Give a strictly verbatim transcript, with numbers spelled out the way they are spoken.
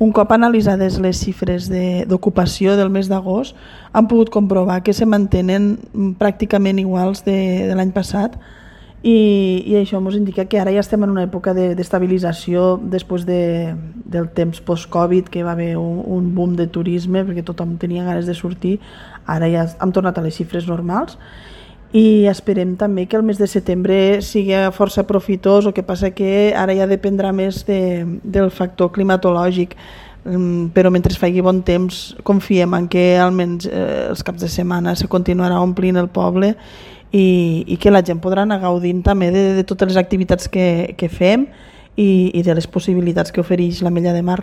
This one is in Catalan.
un cop analitzades les xifres de, d'ocupació del mes d'agost, han pogut comprovar que se mantenen pràcticament iguals de, de l'any passat i, i això ens indica que ara ja estem en una època de, d'estabilització després de, del temps post-Covid, que va haver un, un boom de turisme perquè tothom tenia ganes de sortir. Ara ja hem tornat a les xifres normals i esperem també que el mes de setembre sigui força profitós, el que passa que ara ja dependrà més de, del factor climatològic, però mentre faci bon temps confiem en que almenys eh, els caps de setmana se continuarà omplint el poble i, i que la gent podrà anar gaudint també de, de totes les activitats que, que fem i, i de les possibilitats que ofereix l'Ametlla de Mar.